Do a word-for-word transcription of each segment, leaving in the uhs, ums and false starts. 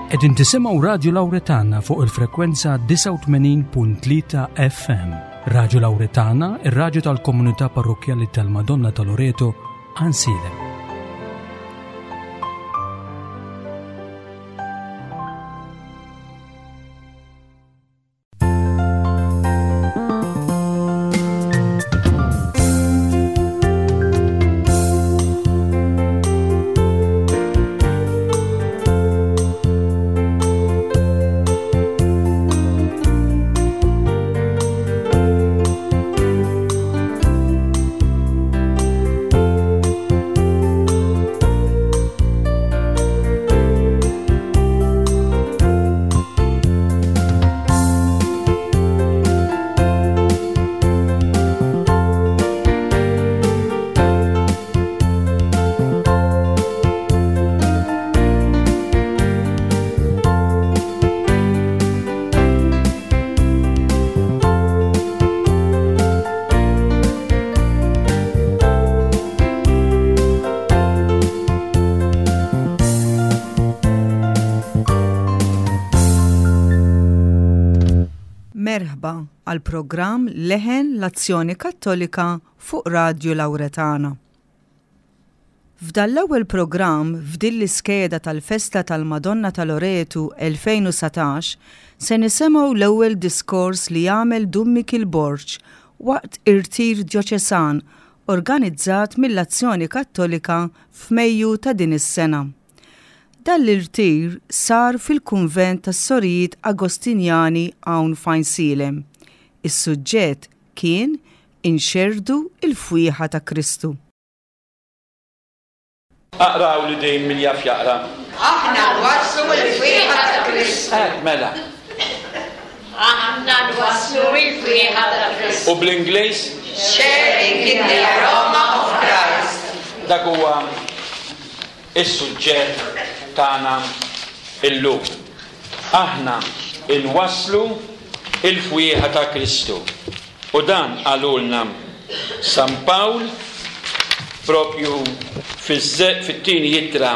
Qegħdin tisimgħu Radju Lawretana fuq il-frekwenza disgħa u tmenin punt tlieta F M. Radju Lawretana, ir-radju tal-Komunità Parrokkjali tal-Madonna ta' Loreto, Għajnsielem. Merħba għal programm Leħen l-Azzjoni Kattolika fuq Radju Lawretana. F'dan l-ewwel programm f'din l-iskeda tal-Festa tal-Madonna ta' Loretu elfejn u dsatax se nisimgħu l-ewwel diskors li jagħmel Dun Mikiel Borg waqt irtir djoċesan organizzat mill-Azzjoni Kattolika f'Mejju ta' din is-sena. Dan l-irtir sar fil-kunvent tas-Sorijiet Agostinjani hawn f'Għajnsielem. Is-suġġett kien "Inxerdu il-fwieħa ta' Kristu". Aqraw li dejjem min jaf jaqra. Aħna nwasslu l-fwieħa ta' Kristu. Eh, mela. Aħna nwasslu l-fwieħa ta' Kristu. U bl-Ingliż? Sharing in the aroma of Christ. Dak huwa is-suġġett tagħna illum. Aħna inwasslu il-fwieħa ta' Kristu. U dan qalulna San Pawl propju fit-tieni ittra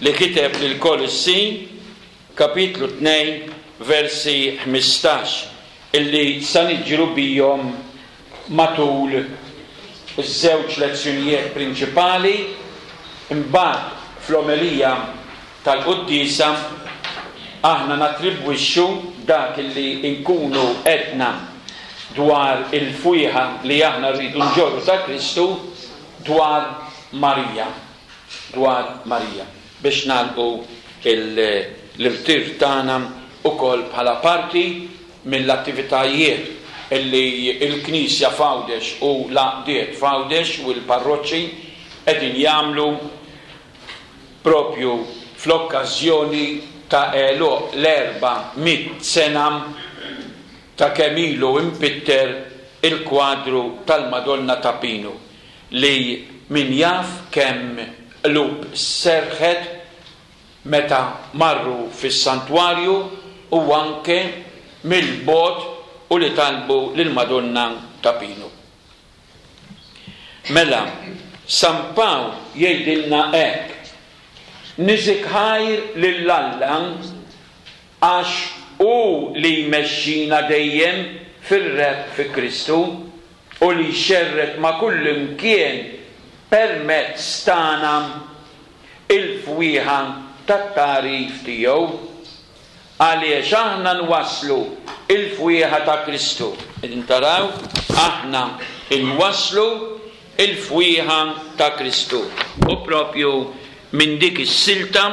li kiteb lil Kolossin, kapitlu tnejn, versi ħmistax, illi sa niġru bihom matul iż-żewġ lezzjonijiet prinċipali. Imbagħad fl-omelija tal-quddiesa aħna natribwixxu dak illi nkunu għedna dwar il-fwieħa li aħna rridu nġorru ta' Kristu dwar Marija. Dwar Marija. Biex nagħlqu l-irtir tagħna ukoll bħala parti mill-attivitajiet illi il-Knisja f'Għawdex u l-għaqdiet f'Għawdex u l-parroċċi qegħdin jagħmlu propju fl-okkażjoni ta' għeluq l-erba' mitt sena ta' kemm ilu impitter il-kwadru tal-Madonna ta' Pinu, li min jaf kemm qlub serħet meta marru fis-santwarju u anke mill-bogħod u li talbu lill-Madonna ta' Pinu. Mela, San Pawl jgħidilna hekk: "Niżik ħajr lil Alla għax hu li jmexxina dejjem fir-rebħ fi Kristu u li jxerred ma' kull imkien permezz tagħna il-fwieħa tat-tagħrif tiegħu. Għaliex aħna nwasslu il-fwieħa ta' Kristu." Qegħdin taraw, aħna nwasslu il-fwieħa ta' Kristu. U propju minn dik is-silta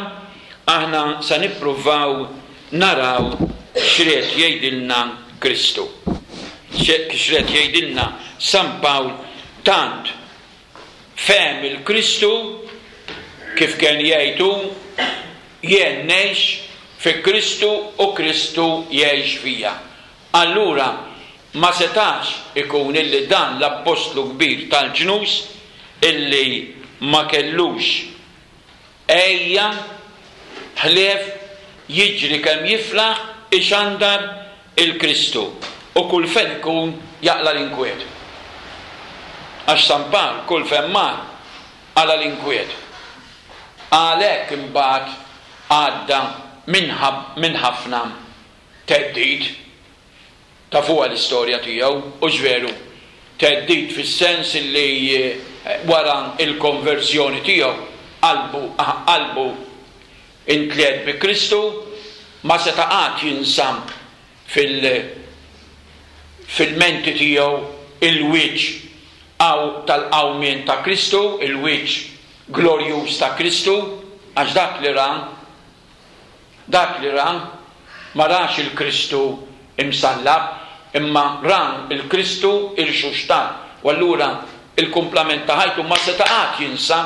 aħna sa nippruvaw naraw x'ried jgħidilna Kristu. X'ried jgħidilna San Pawl. Tant fehem il-Kristu, kif kien jgħidu, "Jien ngħix fi Kristu u Kristu jgħix fija." Allura ma setax ikun illi dan l-appostlu kbir tal-ġnus illi ma kellux ejja ħlief jiġri kemm jiflaħ ixandar il-Kristu u kull fejn ikun jaqla l-inkwiet. Għax San Pawl kull fejn mar qala l-inkwiet. Għalhekk imbagħad għadda minn ħafna theddid. Tafuha l-istorja tiegħu, hux veru? Theddid fis-sens li wara il-konverżjoni tiegħu qalbu qalbu intliet bi Kristu, ma seta' qatt jinsa fil fil-menti tiegħu il-wiċċ tal-qawmien ta' Kristu, il-wiċċ glorjuż ta' Kristu, għax dak li ra, dak li ra ma rax il-Kristu imsallab, imma ra il-Kristu irxuxtat. U allura il-kumplament ta' ħajtu ma seta' qatt jinsa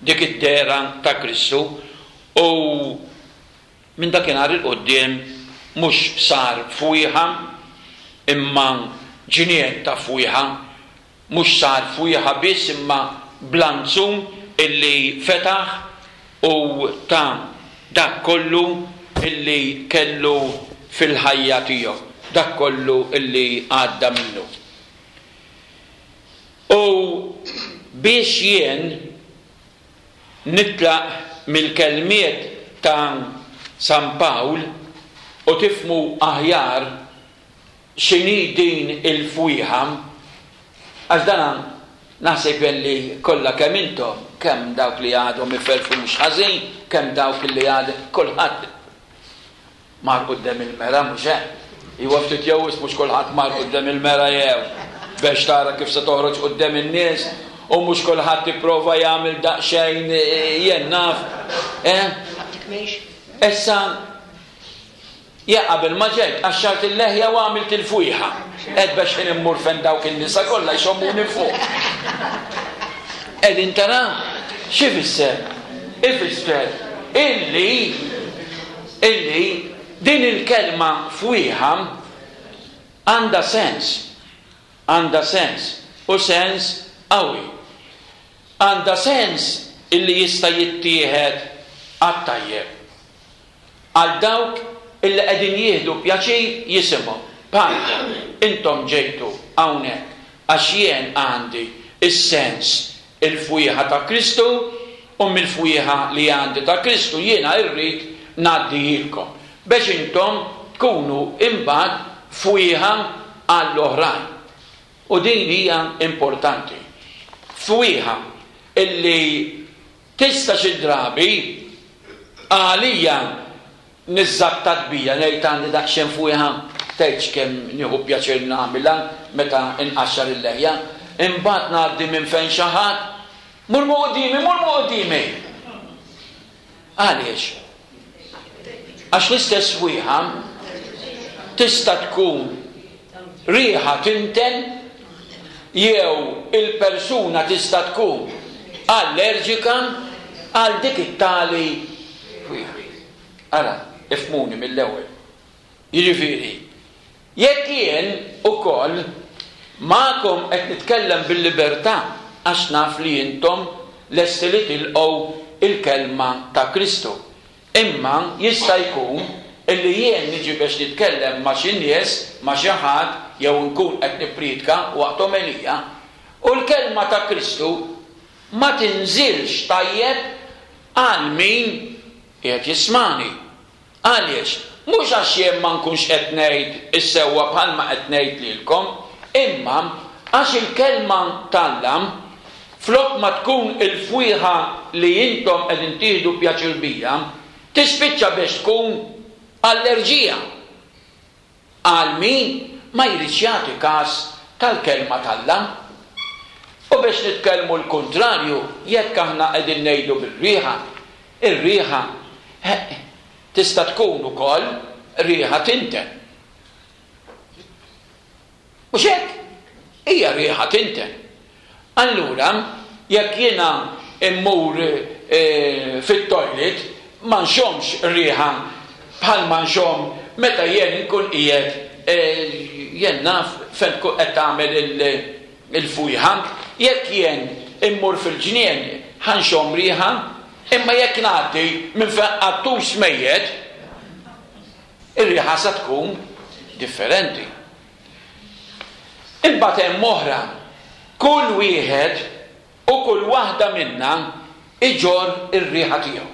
dik id-dehra ta' Kristu. U minn dakinhar il-quddiem mhux sar fwieħa, imma ġnien ta' fwieħa, mhux sar fwieħa biss imma blanzun illi fetaħ u ta' dak kollu illi kellu fil-ħajja tiegħu, dak kollu illi għadda minnu. U biex jien nitlaq mill-kelmiet ta' San Pawl u tifmu aħjar x'inhi din il-fwieħa, għax dan naħseb li kollha kemm intom, kemm dawk li għadhom iferfu mhux ħażin, kemm dawk li għad kulħadd mar quddiem il-mera, mhux hekk? Iwa ftit jew mhux kulħadd mar quddiem il-mera jew biex tara kif se toħroġ quddiem in-nies, u mhux kulħadd ipprova jagħmel daqsxejn jien naf. Eh? Issa ja qabel ma ġejt qaxxart il-leħja u għamilt il-fwieħa. Qed biex ħin immur fejn dawk in-nisa kollha jxommuni fuq. Qegħdin tara x'ifisser? Ifisser illi illi din il-kelma fwieħa għandha sens, għandha sens u sens qawwi. Għandha sens illi jista' jittieħed għat-tajjeb għal dawk illi qegħdin jieħdu pjaċir jisimgħu. Bħalkom intom ġejtu hawnhekk għax jien għandi is-sens il-fwieħa ta' Kristu, u mill-fwieħa li għandi ta' Kristu jiena rrid ngħaddihilkom biex intom tkunu imbagħad fwieħa għall-oħrajn. U din hija importanti. Fwieħa illi tista' xi drabi għalija niżżattat bija, ngħid għandi daqsxejn fwieħa, tgħidx kemm nieħu pjaċir nagħmilha meta nqaxxar il-leħja, imbagħad ngħaddi minn fejn xi ħadd, mur mu quddiemi, mur mu quddiemi. Għaliex? Għax l-istess fwieħa tista' tkun riħa tinten, jew il-persuna tista' tkun allerġika għal dik it-tali fwieħa. Ara, ifhmuni mill-ewwel. Jiġifieri, jekk jien ukoll magħkom qed nitkellem bil-libertà għax naf li intom lesti li tilqgħu il-kelma ta' Kristu. Imma jista' jkun illi jien niġi biex nitkellem ma' xi nies, ma' xi ħadd, jew nkun qed nippriedka waqt omelija, u l-kelma ta' Kristu ma tinżilx tajjeb għal min qiegħed jismani. Għaliex? Mhux għax jien ma nkunx qed ngħid is-sewwa bħalma qed ngħid lilkom, imma għax il-kelma t'Alla flok ma tkun il-fwieħa li intom qegħdin tieħdu pjaċir bija, tispiċċa biex tkun allerġija għal min ma jridx jagħti każ tal-kelma t'Alla. U biex nitkellmu l-kontrarju, jekk aħna qegħdin ngħidu bir-riħa, ir-riħa tista' tkun ukoll riħa tinten. Mhux hekk? Hija riħa tinten. Allura, jekk jiena immur e, fit-toilet, ma nxommx riħa bħal ma nxomm meta jien nkun qiegħed e, jien naf fejn tkun qed tagħmel il-fwieħa. Jekk jien immur fil-ġnien ħanxomm riħa, imma jekk ngħaddi minn fejn qattus mejjet, ir-riħa sa tkun differenti. Imbagħad hemm oħra, kull wieħed u kull waħda minna iġorr ir-riħa tiegħu.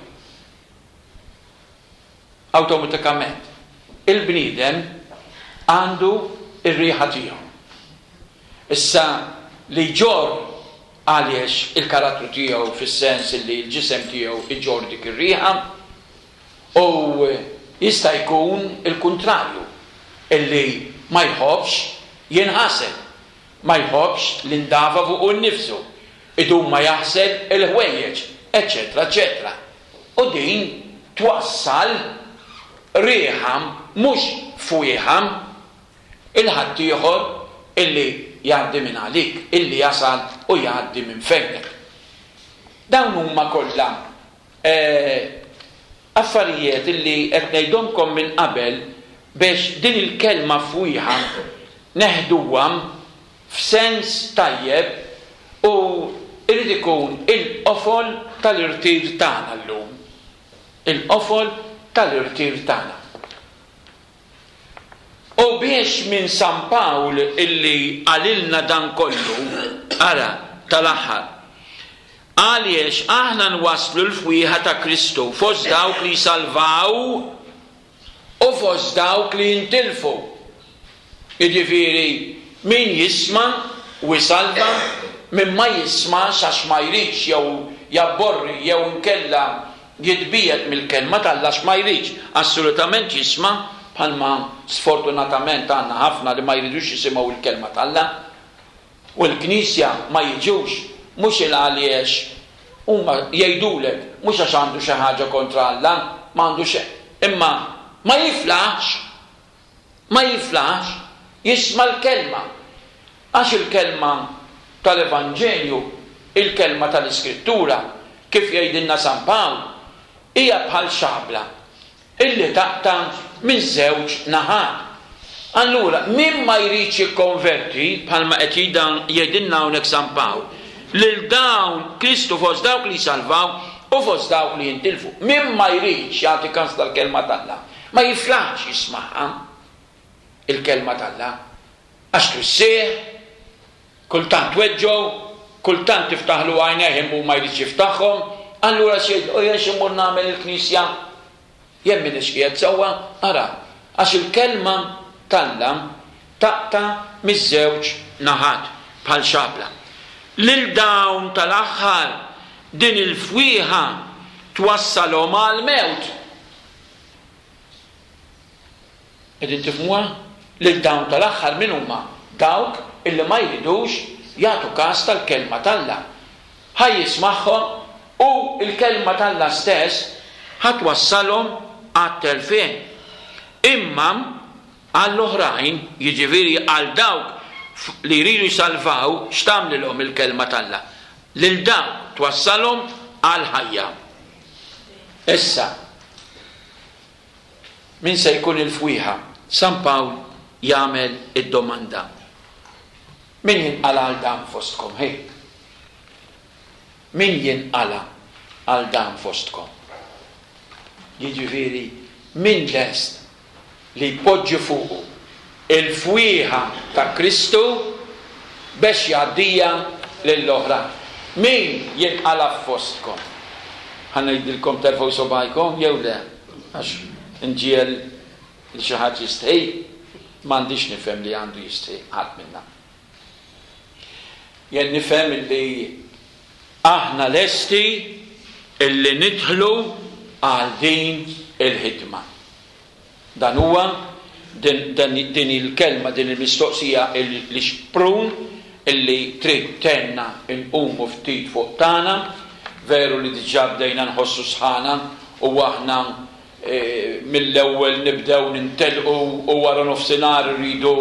Awtomatikament. Il-bniedem għandu ir-riħa tiegħu. Issa li jġorr għaliex il-karattru tiegħu fis-sens li l-ġisem tiegħu iġorr dik ir-riħa, u jista' jkun il-kuntrarju, illi ma jħobbx jinħasel, ma jħobbx l-indafa fuqu nnifsu, idum ma jaħsel il-ħwejjeġ, eċċetera, eċċetera. U din twassal riħa mhux fwieħa il-ħaddieħor illi jgħaddi minn għalik, illi jasal u jgħaddi minn fejnek. Dawn huma kollha eh, affarijiet illi qed ngħidhomkom minn qabel biex din il-kelma fwieħa neħduha f'sens tajjeb u irid ikun il-qofol tal-irtir tagħna llum. Il-qofol tal-irtir tagħna. U biex minn San Pawl illi qalilna dan kollu, ara, tal-aħħar, għaliex aħna nwasslu l-fwieħa ta' Kristu fost dawk li jsalvaw u fost dawk li jintilfu. Jiġifieri min jisma' u jsalva, min ma jismax għax ma jridx jew jabborri jew inkella jitbiegħed mill-kelma t'Alla għax ma jridx assolutament jisma', bħalma sfortunatament għandna ħafna li ma jridux jisimgħu l-kelma t'Alla. U l-Knisja ma jiġux mhux il għaliex huma jgħidulek mhux għax għandu xi ħaġa kontra Alla, ma għandu xejn, imma ma jiflaħx, ma jiflaħx jisma' l-kelma. Għax il-kelma tal-Evanġelju, il-kelma tal-Iskrittura, kif jgħidilna San Pawl, hija bħal xabla illi taqta' minn żewġ naħat. Allura, min ma jridx jikkonverti, bħalma qed jgħidilna hawnhekk San Pawl, lil dawn Kristu fost dawk li jsalvaw u fost dawk li jintilfu. Min ma jridx jagħti kans tal-kelma t'Alla, ma jiflaħx jismagħha il-kelma t'Alla, għax twissih, kultant tweġġgħu, kultant tiftaħlu għajnejh imma ma jridx jiftaħhom, allura xi jgħid, u jien xi mmur nagħmel il-knisja? Jien m'iniex qiegħed sewwa, ara, għax il-kelma t'Alla taqta' miż-żewġ naħat bħal xabla. Lil dawn tal-aħħar din il-fwieħa twassalhom għall-mewt. Qegħdin tifhmuha? Lil dawn tal-aħħar min huma? Dawk illi ma jridux jagħtu każ tal-kelma t'Alla. Ħaj jismagħhom u l-kelma t'Alla stess ħatwassalhom għat-telfien. Imma għall-oħrajn, jiġifieri għal dawk li jridu jsalvaw, x'tagħmlilhom il-kelma t'Alla? Lil dawk twassalhom għall-ħajja. Issa, min se jkun il-fwieħa? San Pawl jagħmel id-domanda. Min jinqala' għal dan fostkom? Hej. Min jinqala' għal dan fostkom? Jiġifieri, min lest li jpoġġi fuqu il-fwieħa ta' Kristu biex jgħaddija lill-oħra? Min jinqala' fostkom? Ħa ngħidilkom terfgħu sobajkom jew le? Għax nġiel li xi ħadd jistħi, m'għandix nifhem li għandu jistħi ħadd minna. Jien nifhem li aħna lesti illi nidħlu għal din il-ħidma. Dan huwa din, din, din il-kelma, din il-mistoqsija li xprun illi trid tenna nqumu ftit fuq tagħna, veru li diġà bdejna nħossu sħana u aħna, e, mill-ewwel nibdew nintelqu u wara nofsinhar irridu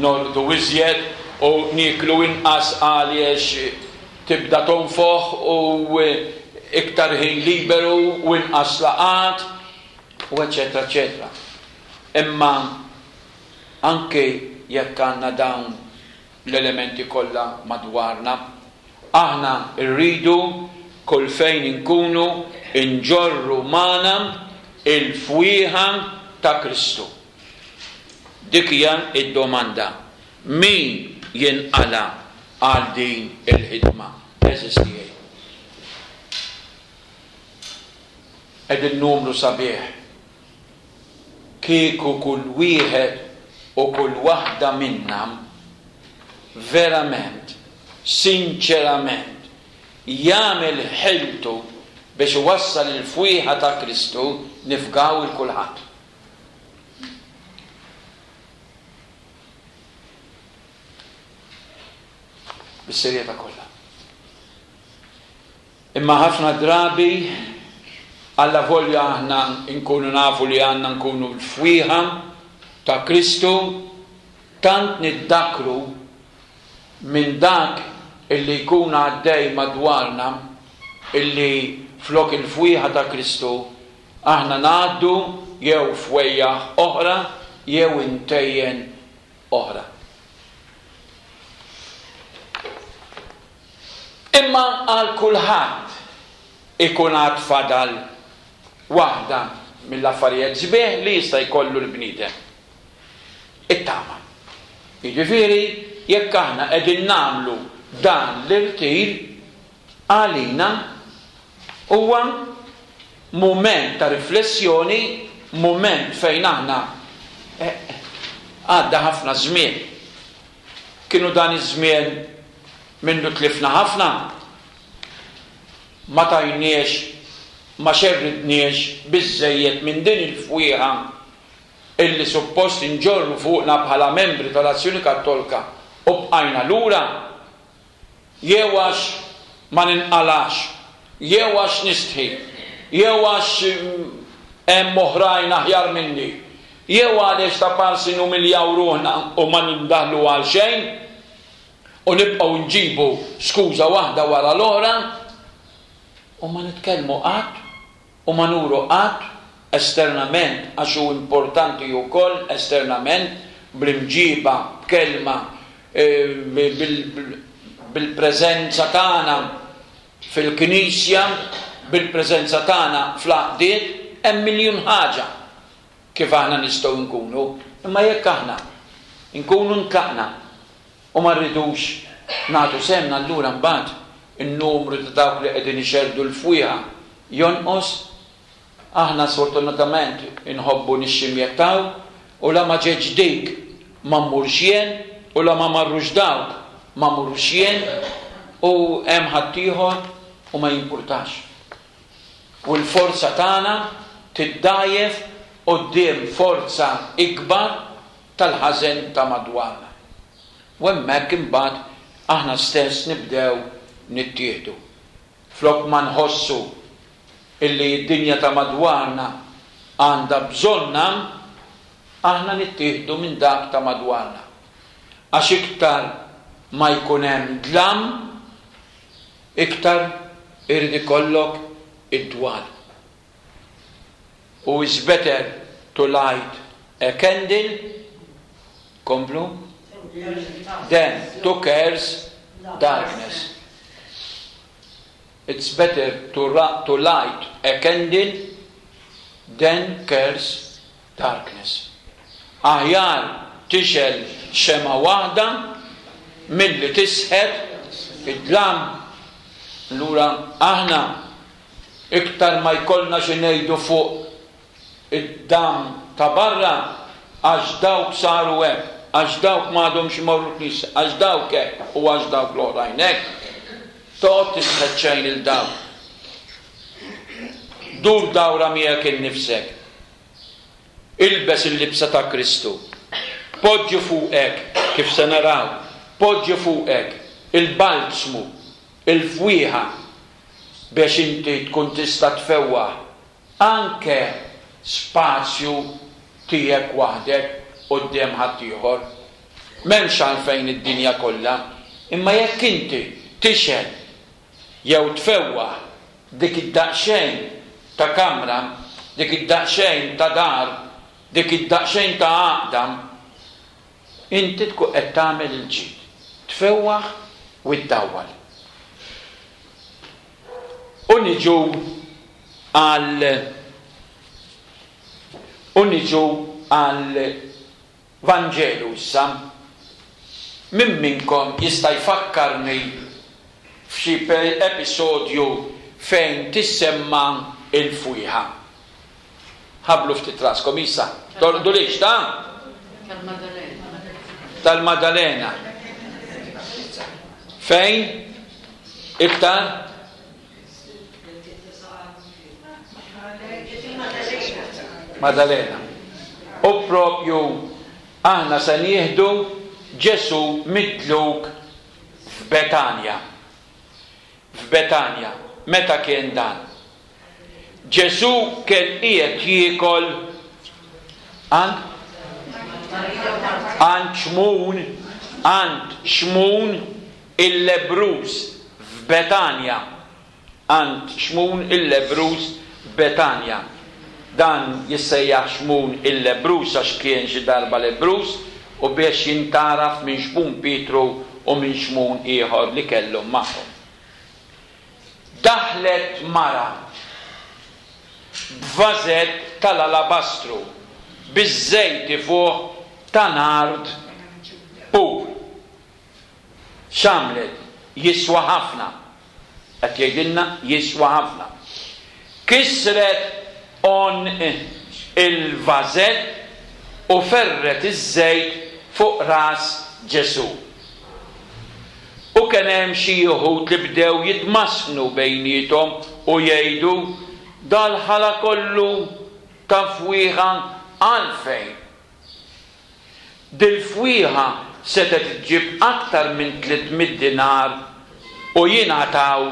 norqdu iżjed u nieklu inqas għaliex tibda tonfoħ u iktar ħin liberu u inqas laqat u eċetera, eċetera. Imma anke jekk għandna dawn l-elementi kollha madwarna, aħna rridu kull fejn inkunu nġorru magħna il-fwieħa ta' Kristu. Dik hija d-domanda. Min jinqala' għal din il-ħidma? Għeżież tiegħi. Qegħdin numru sabiħ. Kieku kull wieħed u kull waħda minna verament, sinċerament, jagħmel ħiltu biex iwassal il-fwieħa ta' Kristu, nifgaw il kulħadd. Bis-serjetà kollha. Imma ħafna drabi alla volja aħna nkunu nafu li għandna nkunu l-fwieħa ta' Kristu, tant niddakru minn dak illi jkun għaddej madwarna illi flok il-fwieħa ta' Kristu aħna ngħaddu jew fwejjaħ oħra jew intejjen oħra. Imma għal kulħadd ikun għad fadal waħda mill-affarijiet sbieħ li jista' jkollu l-bniedem. It-tama. Jiġifieri jekk aħna qegħdin nagħmlu dan l-irtir, għalina huwa mument ta' riflessjoni, mument fejn aħna għadda ħafna żmien. Kienu dan iż-żmien minnu tlifna ħafna, ma tajniex, ma xerridniex biżżejjed minn din il-fwieħa illi suppost inġorru fuqna bħala membri tal-Azzjoni Kattolika u bqajna lura, jew għax ma ninqalax, jew għax nistħi, jew għax hemm oħrajn aħjar minni, jew għaliex ta' parsi numiljaw ruħna u ma nindaħlu għal xejn u nibqgħu nġibu skuża waħda wara l-oħra u ma nitkellmu qatt u ma nuru qatt esternament, għax hu importanti wkoll esternament bl-imġiba, b'kelma, bil-preżenza tagħna fil-knisja, bil-preżenza tagħna fl-għaqdiet, hemm miljun ħaġa kif aħna nistgħu nkunu. Imma jekk aħna nkunu ntlaqna u ma rridux nagħtu semna, allura mbagħad in-numru ta' dawk li qegħdin ixerdu l-fwieħa jonqos. Aħna sfortunatament inħobbu nixximjettaw u la ma ġeġ dik ma mmurx jien u la ma marrux dawk ma mmurux jien u hemm ħaddieħor u ma jimpurtax. U l-forza tagħna tiddajjef quddiem forza ikbar tal-ħażen ta' madwarna. U hemmhekk imbagħad aħna stess nibdew nittieħdu. Flok ma nħossu illi d-dinja ta' madwarna għandha bżonna, aħna nittieħdu minn dak ta' madwarna. Għax iktar ma jkun hemm dlam, iktar irid ikollok id-dwal. U is better to light a candle, komplu, than to curse darkness. It's better to, to light a candle than curse darkness. Aħjar tixel xema waħda milli tisħet id-dlam. Allura aħna iktar ma jkollna xi ngħidu fuq id-dam ta' barra, għax dawk saru hekk, għax dawk m'għadhomx imorru knisja, għax dawk hekk u għax dawk l-oħrajn hekk. Toqgħod tisħet xejn il dawk. Dur dawra miegħek innifsek. Ilbes il-libsa ta' Kristu. Poġġi fuqek, kif se naraw, poġġi fuqek il-balzmu, il-fwieħa, biex inti tkun tista' tfewwaħ anke spazju tiegħek waħdek quddiem ħaddieħor. M'hemmx għalfejn id-dinja kollha, imma jekk inti tixhed jew tfewwaħ dik id-daqsxejn ta' kamra, dik id-daqsxejn ta' dar, dik id-daqsxejn ta' għaqda, inti tkun qed tagħmel il-ġid, tfewwaħ u ddawwal. U niġu għal u niġu għal Vanġelu issa. Min minnkom jista' jfakkarni f'xi episodju fejn tissemma il-fwieħa? Ħabblu ftit raskom issa. Torqdulix, ta'? Tal-Madalena. Fejn? Iktar? Madalena. U propju aħna se nieħdu Ġesù midluk f'Betanja. F'Betanja. Meta kien dan? Ġesù kien qiegħed jiekol għand għand Xmun, għand Xmun il-lebbruż f'Betanja. Għand Xmun il-lebbruż f'Betanja. Dan jissejjaħ Xmun il-lebbruż għax kien xi darba lebbruż u biex jintgħaraf minn Xmun Pietru u minn Xmun ieħor li kellhom magħhom. Daħlet mara b'vażett tal-alabastru biż-żejt ifuħ ta' nard pur. X'għamlet? Jiswa ħafna. Qed jgħidilna jiswa ħafna. Kisret għonq il-vażett u ferret iż-żejt fuq ras Ġesù. U kien hemm xi wħud li bdew jitmasnu bejniethom u jgħidu, dal-ħala kollu ta' fwieħa għalfejn? Dil-fwieħa setgħet iġġib aktar minn tliet mitt dinar u jingħataw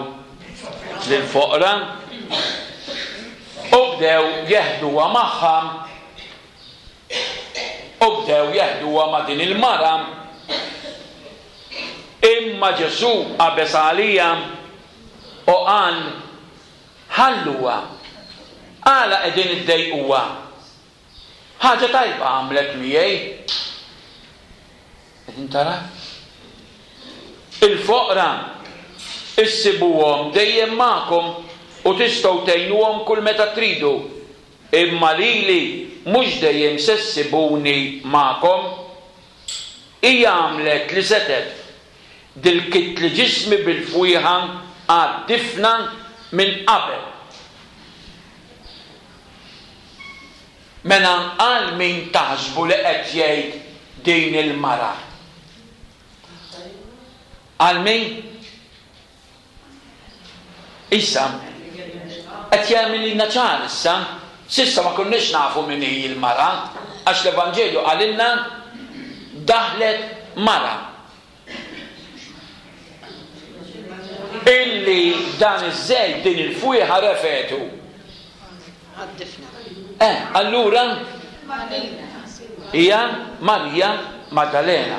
lill-foqra. U bdew jeħduha magħha, u bdew jeħduha ma' din il-mara. Imma Ġesù qabeż għalija u qal, ħalluha, għala qegħdin iddejquha? Ħaġa tajba għamlet miegħi. Qegħdin tara? Il-foqra issibuhom dejjem magħkom u tistgħu tgħinuhom kull meta tridu, imma lili mhux dejjem se ssibuni magħkom. Hija għamlet li setgħet. Dilkitli ġismi bil-fwieħa għad-difna minn qabel. Mela għal min taħsbu li qed jgħid din il-mara? Għal min? Issa, qed jagħmililna ċar issa, s'issa ma konniex nafu min hi l-mara, għax l-Evanġelju qalilna daħlet mara. Illi dan iż-żejt din il-fwieħa refetu. Eh, allura hija Marija Maddalena.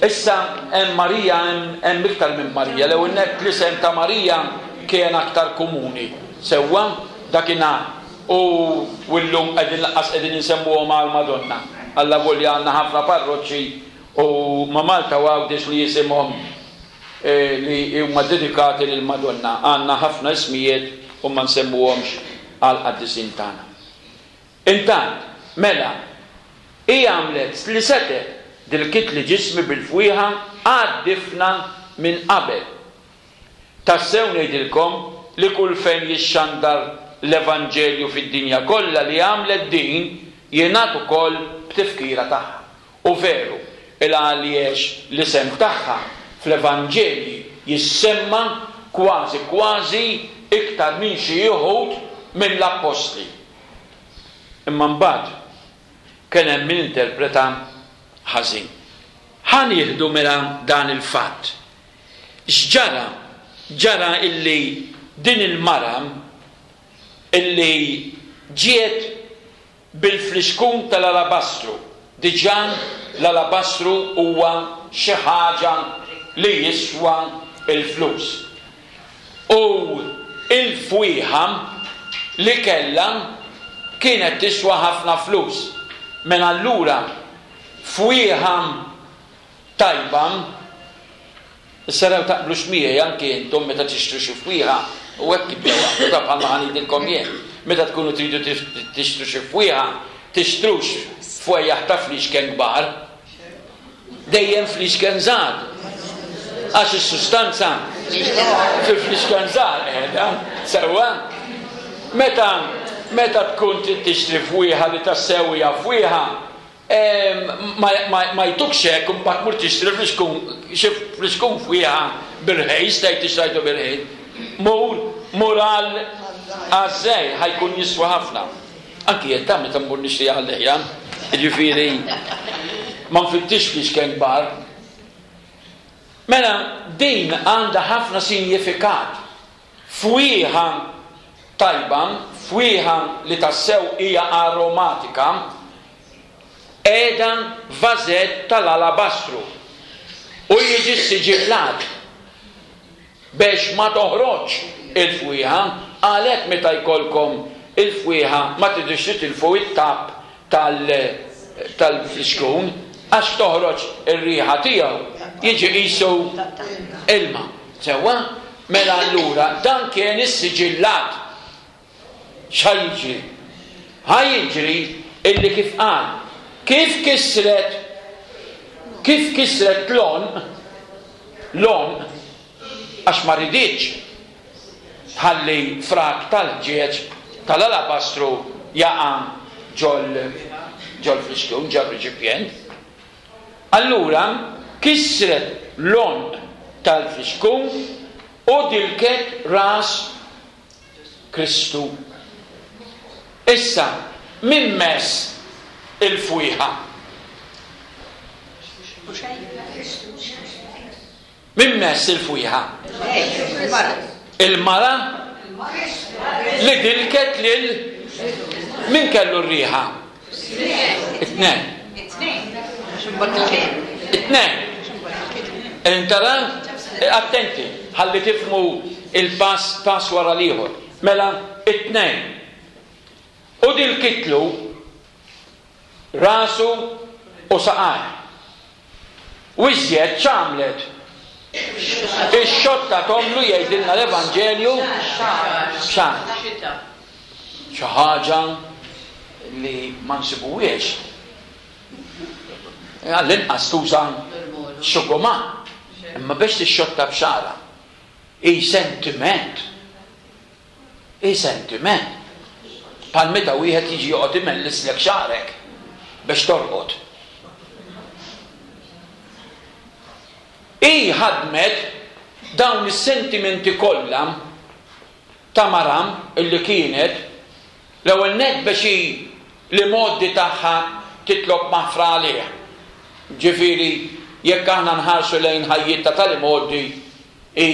Issa hemm Marija, hemm iktar minn Marija. L-ewwel nett l-isem ta' Marija kien aktar komuni. Sewwa dakinhar u llum qegħdin lanqas qegħdin insemmuhom għal Madonna. Alla volja għandna ħafna parroċċi u ma' Malta u Għawdex li jisimhom li huma dedikati lil Madonna. Għandna ħafna ismijiet u ma nsemmuhomx għal qaddisin tagħna. Intant, mela, hi għamlet li setgħet, dilkitli ġismi bil-fwieħa għad-difna minn qabel. Tassew ngħidilkom li kull fejn jixxandar l-Evanġelju fid-dinja kollha li għamlet din jingħad ukoll b'tifkira tagħha. U veru, il għaliex l-isem tagħha fl-Evanġelji jissemma kważi kważi iktar minn xi uħud mill-Appostli. Imma mbagħad kien hemm min interpreta ħażin. Ħa nieħdu mela dan il-fatt. X'ġara? Ġara illi din il-mara illi ġiet bil-flixkun tal-alabastru. Diġà l-alabastru huwa xi ħaġa li jiswa l-flus. U il-fwieħa li kellha kienet tiswa ħafna flus. Mela allura fwieħa tajba, issa raw taqblux miegħi anke intom meta tixtru xi fwieħa, u hekk tibdew għamlu ta' bħalma ħa ngħidilkom jien. Meta tkunu tridu tixtru xi fwieħa, tixtrux fwejjaħ ta' flixken kbar, dejjem flixken żgħar. Għax is-sustanza fil-flixken żgħar qiegħda, sewwa. Meta Meta tkun trid tixtri fwieħa li tassew hija fwieħa, ma jtukx hekk u mbagħad mur tixtri xi fliskun fwieħa bir-ħejs, tgħid tixtrajtu bir-ħejs. Mur, mur għal għażej ħajkun jiswa ħafna. Anki jien ta' meta mmur nixtri għal-leħja, jiġifieri ma nfittix fliexken kbar. Mela din għandha ħafna sinjifikat. Fwieħa tajba, fwieħa li tassew hija aromatika, qiegħda f'vażett tal-alabastru u jiġi siġillat biex ma toħroġ il-fwieħa. Għalhekk meta jkollkom il-fwieħa ma tridux titilfu it-tapp tal-fliskun, għax toħroġ ir-riħa tiegħu jiġi qisu ilma. Sewwa? Mela allura dan kien is-siġillat. X'ħa jiġri? Ħa jiġri illi kif qal, kif kisret, kif kisret l-għonq, l-għonq, għax ma riditx tħalli frak tal-ħġieġ tal-alabastru jaqa' ġol ġol fliskun, ġol reċipjent. Allura kisret l-għonq tal-fliskun u dilket ras Kristu. Issa, min mess il-fwieħa? Min mess il-fwieħa? Il-mara li dilket lil min kellu r-riħa? It-tnejn. It-tnejn. Intara? Attenti, ħalli tifhmu il-pass pass wara l-ieħor. Mela, it-tnejn. U dilkitlu rasu u saqajh. U iżjed x'għamlet? Ix-xotta tomlu jgħidilna l-Evanġelju x'għamlet. Xi ħaġa li ma nsibuhiex. Għall-inqas tuża xuguma, imma biex tixxotta b'xara. Hi sentiment. Hi sentiment. Bħal meta wieħed jiġi joqgħod imellislek xagħrek biex torqod. Hi ħadmet dawn is-sentimenti kollha ta' maram illi kienet l-ewwel nett biex hi li moddi tagħha titlob maħfra għalih. Ġifieri jekk aħna nħarsu lejn ħajjitha tal-imgħoddi hi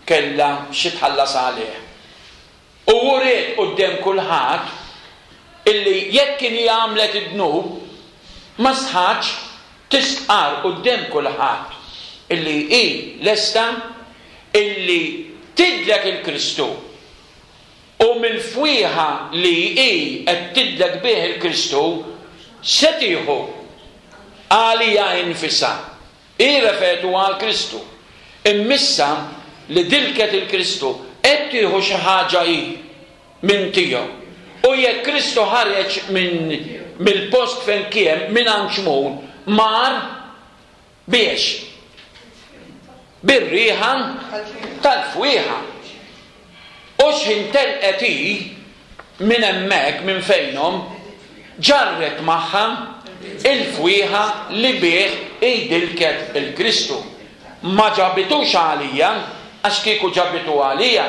kellha xi tħallas għalih. U wriet quddiem kulħadd illi jekk kien hi għamlet id-dnub ma sħatx tistqar quddiem kulħadd illi hi lesta illi tidlek il-Kristu u mill-fwieħa li hi qed tidlek bih il-Kristu se tieħu għalija infisha. Hi refertu għal Kristu. Immissa li dilket il-Kristu qed tieħu xi ħaġa hi minn tiegħu. U jekk Kristu ħareġ minn mill-post fejn kien minn għand Xmun mar biex bir-riħa tal-fwieħa. U x'ħin telqet hi minn hemmhekk minn fejnhom ġarret magħha il-fwieħa li bih hi dilket il-Kristu. Ma ġabitux għalija, għax kieku ġabitu għalija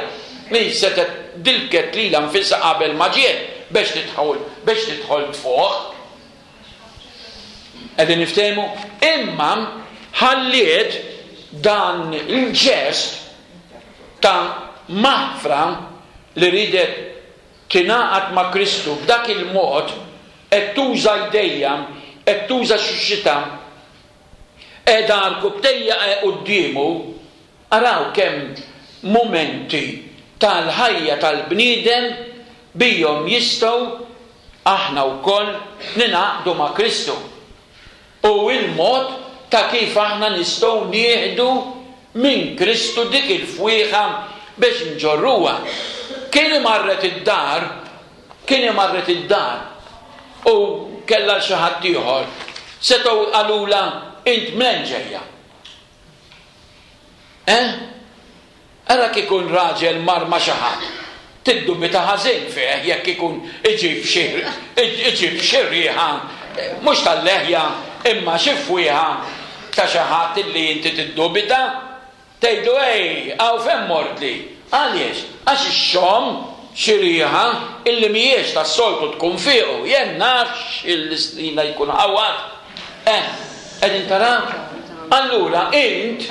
li setgħet dilket lilha nfisha qabel ma ġiet biex tidħol biex tidħol tfuq. Qegħdin niftehmu? Imma ħalliet dan il-ġest ta' maħfra li ridet tingħaqad ma' Kristu b'dak il-mod, qed tuża jdejja, qed tuża xuxita, qiegħda rkubtejja quddiemu. Araw kemm mumenti tal-ħajja tal-bniedem bijhom jistgħu aħna wkoll ninaqdu ma' Kristu. U il-mod ta' kif aħna nistgħu nieħdu minn Kristu dik il-fwieħa biex nġorruha. Kien marret id-dar, kien marret id-dar u kellha xi ħadd ieħor, setgħu qalula int mlen ġejja. Eh? Ara kif ikun raġel mar ma' xi ħadd. Tiddubita ħażin fih jekk ikun iġib xi iġib xi riħa mhux tal-leħja imma xi fwieħa ta' xi ħadd illi inti tiddubita. Tgħidlu ej, hawn fejn mortli. Għaliex? Għax ixxomm xi riħa illi mhijiex tas-soltu tkun fuqu. Jien nafx il-snin jkun ħawad. Eh, qegħdin taraw? Allura int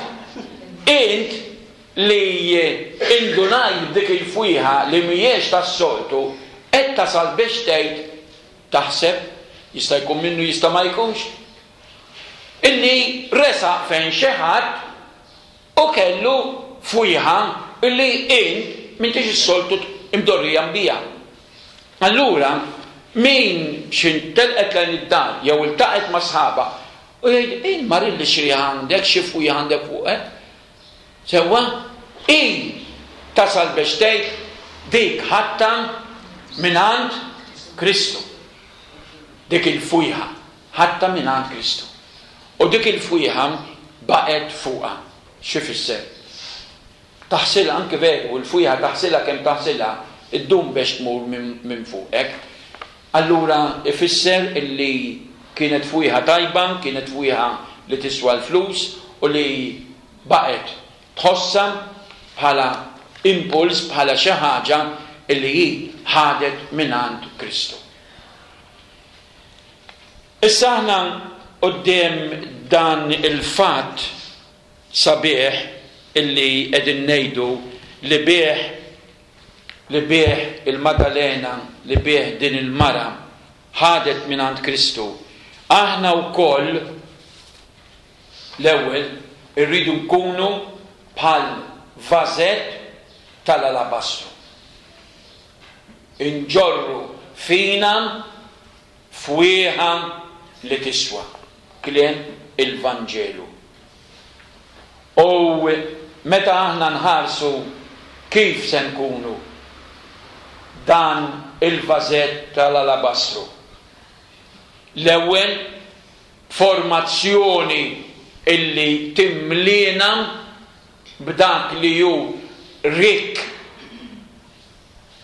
int li indunajt b'dik il-fwieħa li mhijiex tas-soltu, qed tasal biex tgħid taħseb, jista' jkun minnu jista' ma jkunx, illi resaq fejn xi ħadd u kellu fwieħa illi int m'intix is-soltu imdorrija bija. Allura, min xin telqet lejn id-dar jew iltaqet ma' sħaba u jgħid, "Ej, marilli xi għandek, xi fwieħa għandek fuqek?" Sewwa, i tasal biex tgħid dik ħatta mingħand Kristu. Dik il-fwieħa ħatta mingħand Kristu. U dik il-fwieħa baqgħet fuqha. Xi fisser? Taħsilha anke veru, il-fwieħa taħsilha kemm taħsilha, iddum biex tmur minn fuqek. Allura ifisser illi kienet fwieħa tajba, kienet fwieħa li tiswa l-flus u li baqgħet tħossha bħala impuls, bħala xi ħaġa illi hi ħadet mingħand Kristu. Issa aħna quddiem dan il-fatt sabiħ illi qegħdin ngħidu li bih li bih il-Maddalena, li bih din il-mara ħadet mingħand Kristu. Aħna wkoll l-ewwel irridu nkunu bħal vażett tal-alabastru. Inġorru fina fwieħa li tiswa, kliem il-Vanġelu. U meta aħna nħarsu kif se nkunu dan il-vażett tal-alabastru. L-ewwel formazzjoni illi timlina b'dak li hu rikk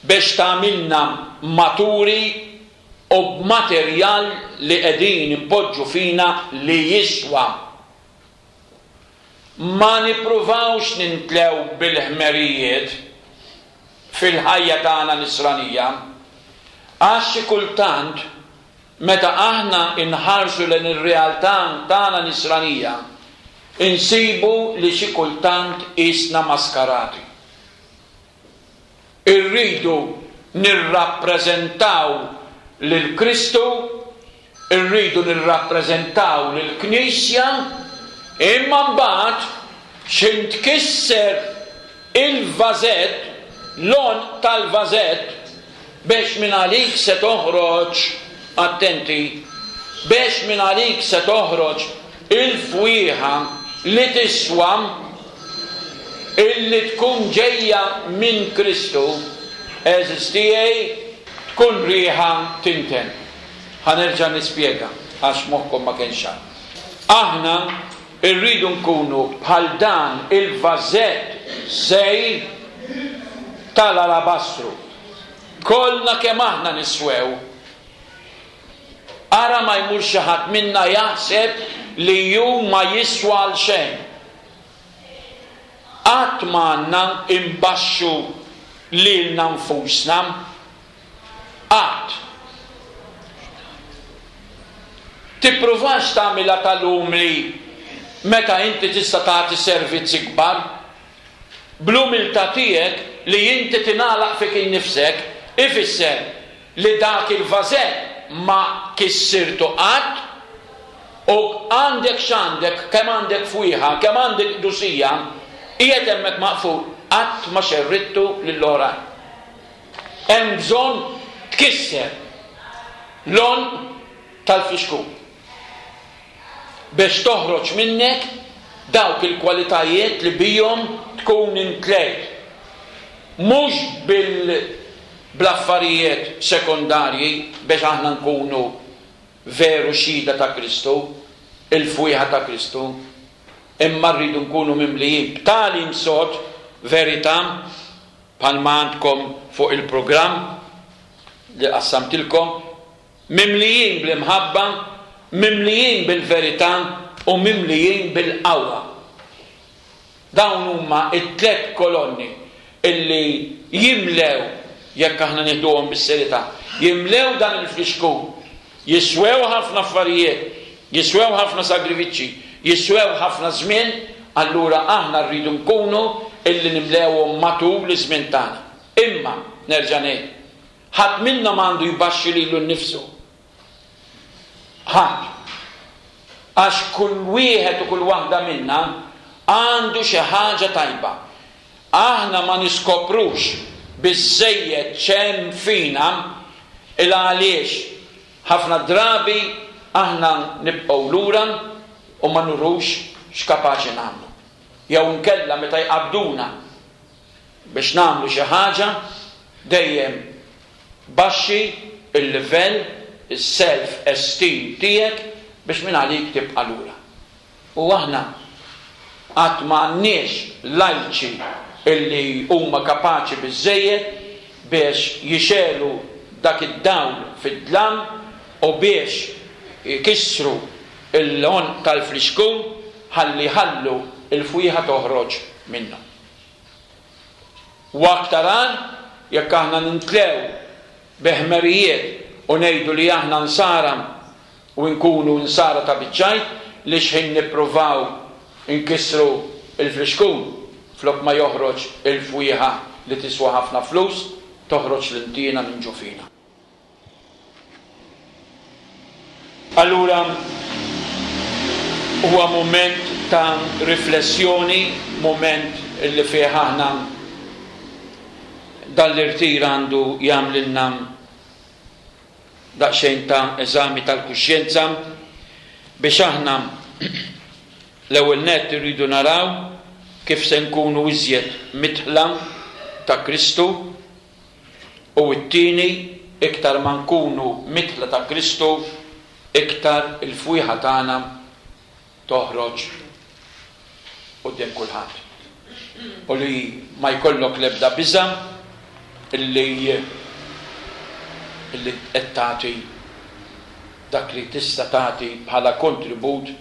biex tagħmilna maturi u b'materjal li qegħdin impoġġu fina li jiswa. Ma nippruvawx nintlew bil-ħmerijiet fil-ħajja tagħna nisranija, għax xi kultant meta aħna inħarsu lejn ir-realtà tagħna nisranija, insibu li xi kultant isna maskarati. Irridu nirrappreżentaw lil Kristu, irridu nirrappreżentaw lil Knisja, imma mbagħad x'in tkisser il-vażett, l-għonq tal-vażett, biex minn għalik se toħroġ, attenti, biex minn għalik se toħroġ il-fwieħa li tiswa illi tkun ġejja minn Kristu, għeżież tiegħi, tkun riħa tinten. Ħa nerġa' nispjega għax moħħkom ma kienx ċar. Aħna rridu nkunu bħal dan il-vażett żgħir tal-alabastru. Kollna kemm aħna niswew. Ara ma jmur xi ħadd minna jaħseb li hu ma jiswa għal xejn. Qatt ma għandna imbaxxu lilna nfusna. Qatt. Tippruvax tagħmilha tal-umli meta inti tista' tagħti servizzi kbar. Bl-umiltà tiegħek li inti tingħalaq fik innifsek ifisser li dak il-vażett ma kissirtu qatt u għandek x'għandek, kemm għandek fwieħa, kemm għandek qdusija, qiegħed hemmhekk maqful, qatt ma xerrittu lill-oħrajn. Hemm bżonn tkisser l-għonq tal-fixkun biex toħroġ minnek dawk il-kwalitajiet li bihom tkun intlejt. Mhux bil bl-affarijiet sekondarji biex aħna nkunu veru xhieda ta' Kristu, il-fwieħa ta' Kristu, imma rridu nkunu mimlijin b'tali msod verità Bħalma għandkom fuq il-programm li qassamtilkom, mimlijin bl-imħabba, mimlijin bil-verità u mimlijin bil-qawwa. Dawn huma t-tliet kolonni illi jimlew, jekk aħna nieħduhom bis-serjetà, jimlew dan il-flixkun. Jiswew ħafna affarijiet, jiswew ħafna sagrifiċċji, jiswew ħafna żmien, allura aħna rridu nkunu illi nimlewhom matul iż-żmien tagħna. Imma, nerġa' ngħid, ħadd minna m'għandu jbaxxi lilu nnifsu. Ħadd. Għax kull wieħed u kull waħda minna għandu xi ħaġa tajba. Aħna ma niskoprux biżżejjed x'hemm fina il għaliex ħafna drabi aħna nibqgħu lura u ma nurux x'kapaċi nagħmlu. Jew inkella meta jqabduna biex nagħmlu xi ħaġa, dejjem baxxi il-livell, is-self esteem tiegħek biex minn għalik tibqa' lura. U aħna qatt ma għandniex lajċi illi huma kapaċi biżżejjed biex jixegħlu dak id-dawl fid-dlam u biex jkissru l-għonq tal-flixkun ħalli jħallu l-fwieħa toħroġ minnu. U aktar għal jekk aħna nintlew bi ħmerijiet u ngħidu li aħna nsara u nkunu nsara ta' biċ-ċajt li xħin nippruvaw inkissru l-flixkun flok ma joħroġ il-fwieħa li tiswa ħafna flus, toħroġ l-intiena minn ġo fina. Allura huwa mument ta' riflessjoni, mument li fih aħna dan l-irtir għandu jagħmlilna daqsxejn ta' eżami tal-kuxjenza biex aħna l-ewwel nett irridu naraw kif se nkunu iżjed midħla ta' Kristu u t-tieni iktar ma nkunu midħla ta' Kristu iktar il-fwieħa tagħna toħroġ quddiem kulħadd. U li ma jkollok l-ebda biża' illi illi qed tagħti dak li tista' tagħti bħala kontribut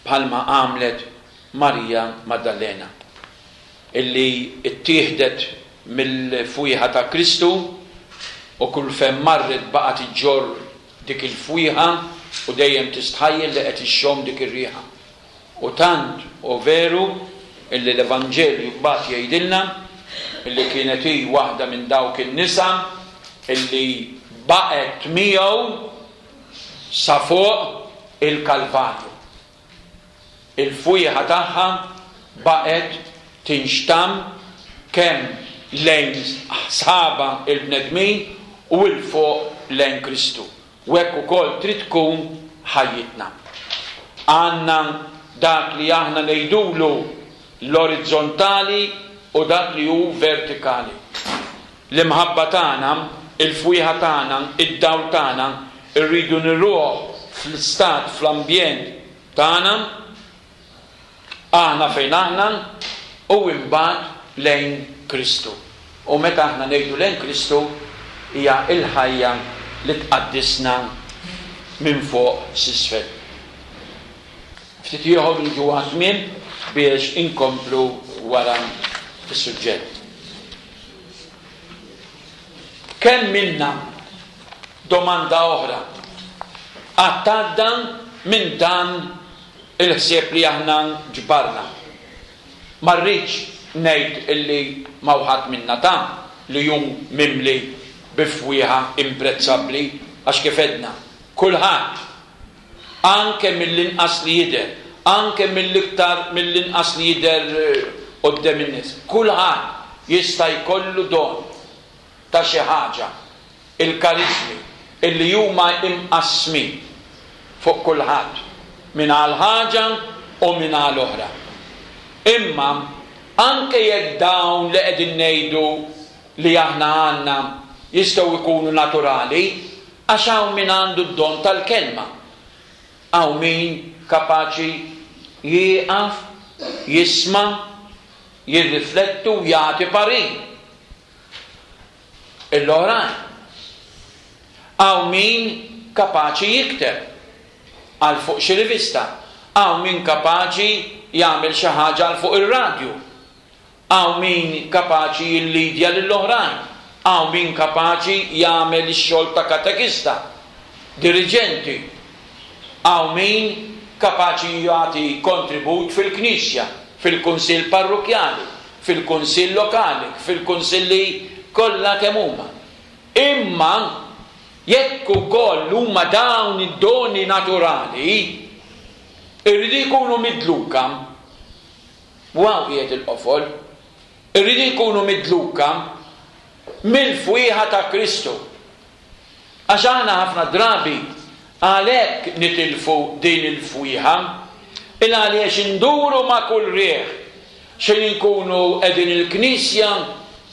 bħalma għamlet Marija Maddalena illi ttieħdet mill-fwieħa ta' Kristu u kull fejn marret baqgħet iġġorr dik il-fwieħa u dejjem tistħajjel li qed ixxomm dik ir-riħa. U tant u veru illi l-Evanġelju mbagħad jgħidilna illi kienet hi waħda minn dawk in-nisa illi baqgħet miegħu sa fuq il-Kalvarju. Il-fwieħa tagħha baqgħet tinxtamm kemm lejn sħaba il-bnedmin u 'l fuq lejn Kristu. U hekk ukoll trid tkun ħajjitna. Għandna dak li aħna ngħidulu l-orizzontali u dak li hu vertikali. L-imħabba tagħna, il-fwieħa tagħna, id-dawl tagħna irridu nruh fl-istat, fl-ambjent tagħna, aħna fejn aħna, u imbagħad lejn Kristu. U meta aħna ngħidu lejn Kristu hija l-ħajja li tqaddisna minn fuq s'isfel. Ftit ieħor niġu għat-tmiem biex inkomplu wara is-suġġett. Kemm minna, domanda oħra, qatt għadda minn dan il-ħsieb li aħna ġbarna? Ma rridx ngħid illi ma ħadd minna ta' li hu mimli bi fwieħa imprezzabbli, għax kif għedna, kulħadd, anke mill-inqas li jidher, anke mill-iktar mill-inqas li jidher quddiem in-nies, kulħadd jista' jkollu don ta' xi ħaġa, il-kariżmi illi huma imqassmin fuq kulħadd, minn għal ħaġa u minn għal oħra. Imma anke jekk dawn li qegħdin ngħidu li aħna għandna jistgħu jkunu naturali, għax hawn min għandu d-don tal-kelma, hawn min kapaċi jieqaf, jisma', jirriflettu u jagħti parir. l-oħrajn. Hawn min kapaċi jikteb għal fuq xi rivista, hawn min kapaċi jagħmel xi ħaġa għal fuq ir-radju, hawn min kapaċi jillidja lill-oħrajn, hawn min kapaċi jagħmel ix-xogħol ta' katekista, diriġenti, hawn min kapaċi jagħti kontribut fil-knisja, fil-kunsill parrokjali, fil-kunsill lokali, fil-kunsilli kollha kemm huma. Imma jekk ukoll huma dawn id-doni naturali, irridu jkunu midluka. U hawn qiegħed il-qofol. Irridu jkunu midluka mill-fwieħa ta' Kristu. Għax aħna ħafna drabi għalhekk nitilfu din il-fwieħa, il għaliex induru ma' kull riħ. Xejn inkunu qegħdin il-knisja,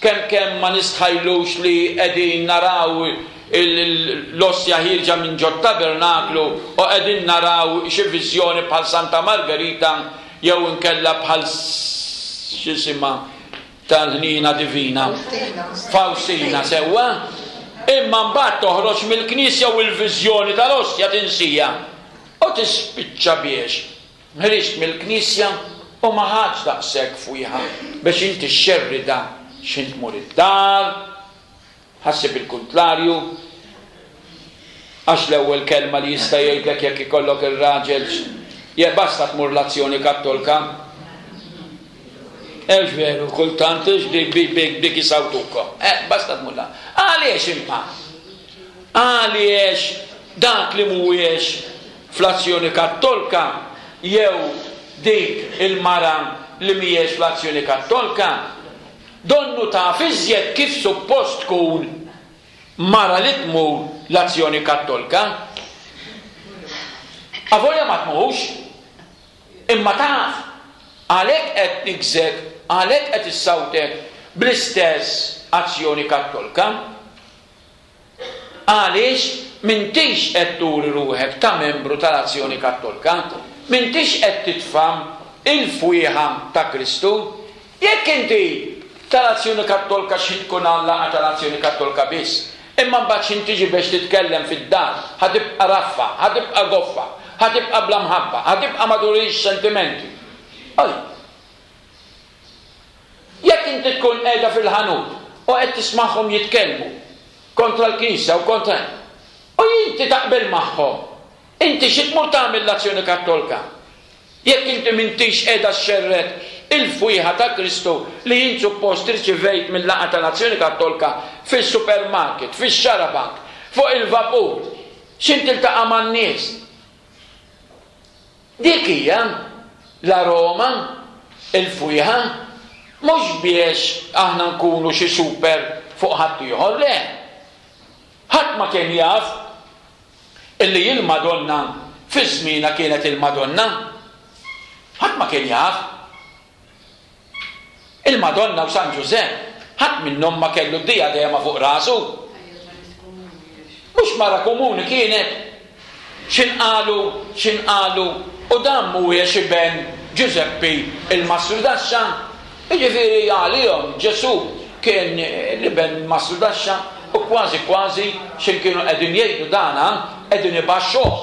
kemm kemm ma nistħajlux li qegħdin naraw l-ostja ħierġa minn ġot tabernaklu u qegħdin naraw xi viżjoni bħal Santa Margherita jew inkella bħal x'isimha tal-ħnina divina. Faustina, sewwa? Imma mbagħad toħroġ mill-knisja u l-viżjoni tal-ostja tinsija. U tispiċċa biex ħriġt mill-knisja u ma ħadx daqshekk fwieħa biex inti xxerrida x'int tmur id-dar, ħassib il-kuntlarju, għax l-ewwel kelma li jista' jgħidlek jekk ikollok ir-raġel, je basta tmur l-Azzjoni Kattolka. Hux veru, kultant dik isawtukom. Eh, basta tmur la. Għaliex imma? Għaliex dak li mhuwiex fl-Azzjoni Kattolka jew dik il-mara li mhijiex fl-Azzjoni Kattolka, donnu taf iżjed kif suppost tkun mara li tmur l-Azzjoni Kattolka. Avolja ma tmurx, imma taf, għalhekk qed nigżek, għalhekk qed issawtek bl-istess Azzjoni Kattolka. Għaliex m'intix qed turi ruħek ta' membru tal-Azzjoni Kattolka, m'intix qed titfam il-fwieħa ta' Kristu. Jekk inti tal-Azzjoni Kattolka xi tkun għallaqa tal-Azzjoni Kattolka biss, imma mbagħad xi tiġi biex titkellem fid-dar, ħatibqa' raffa, ħatibqa' goffa, ħatibqa' bla mħabba, ħatibqa' ma turix sentimenti. Oj. Jekk inti tkun qiegħda fil-ħanut u qed tismagħhom jitkellmu kontra l-Knisja u kontra, u inti taqbel magħhom, inti xi tmur tagħmel l-Azzjoni Kattolka? Jekk inti m'intix qiegħda xxerred il-fwieħa ta' Kristu li jien suppost irċivejt mill-laqgħa tal-Azzjoni Kattolka fis-supermarket, fix-xarabank, fuq il-vapur, x'int tiltaqa' man-nies. Dik hija l-aroma, il-fwieħa, mhux biex aħna nkunu xi super fuq ħaddieħor, le. Ħadd ma kien jaf illi il-Madonna fi żmienha kienet il-Madonna. Ħadd ma kien jaf. Il-Madonna u San Ġużepp ħadd minnhom ma kellu d-dijadema fuq rasu. Mhux mara komuni kienet. X'inqalu, x'inqalu, u dan mhuwiex iben Ġużeppi il-Mastrudaxxa. Jiġifieri għalihom Ġesù kien l-iben Mastrudaxxa u kważi kważi x'in kienu qegħdin jgħidu dana qegħdin ibaxxuh.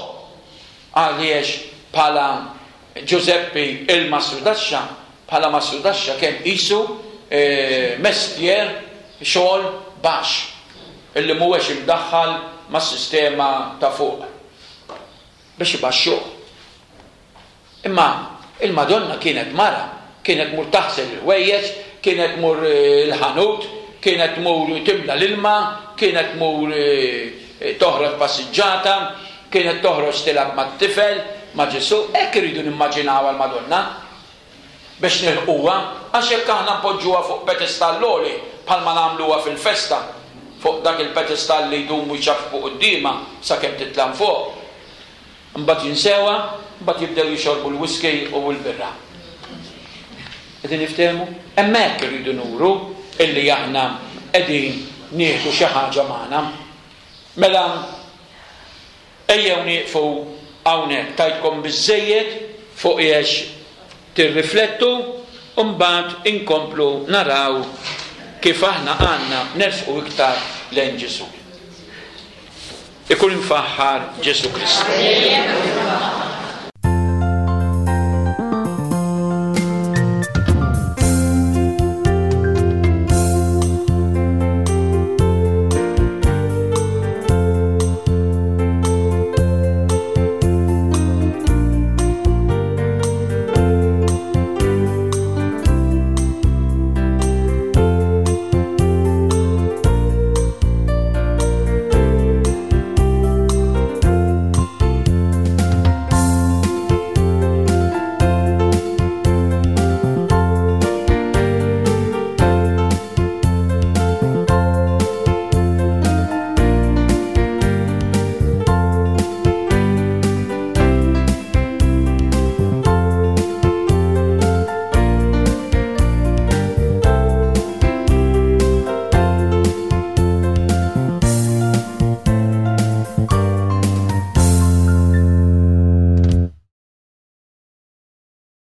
Għaliex bħala Ġużeppi il-Mastrudaxxa, bħala Mastrudaxxa kien qisu, eh, mestier xogħol baxx illi mhuwiex imdaħħal mas-sistema ta' fuq biex ibaxxuh. Imma il-Madonna kienet mara, kienet mur taħsel il-ħwejjeġ, kienet mur il-ħanut, kienet mur timla l-ilma, kienet mur, eh, toħroġ passiġġata, kienet toħroġ tilgħab mat-tifel, ma' Ġesù. Hekk irridu nimmaġinaw għall-Madonna biex nilħquha, għax jekk aħna npoġġuha fuq pedestall għoli bħalma nagħmluha fil-festa, fuq dak il-pedestall li jdumu jċaffu quddiemha sakemm titla' fuq, mbagħad jinsewha, mbagħad jibdew jixorbu l-whisky u l-birra. Qegħdin niftehmu? Hemmhekk irridu nuru illi aħna qegħdin nieħdu xi ħaġa magħna. Mela ejjew nieqfu hawnhekk, tajtkom biżżejjed fuq jiex tirriflettu u mbagħad inkomplu naraw kif aħna għandna nersqu iktar lejn Ġesù. Ikun imfaħħar Ġesù Kristu.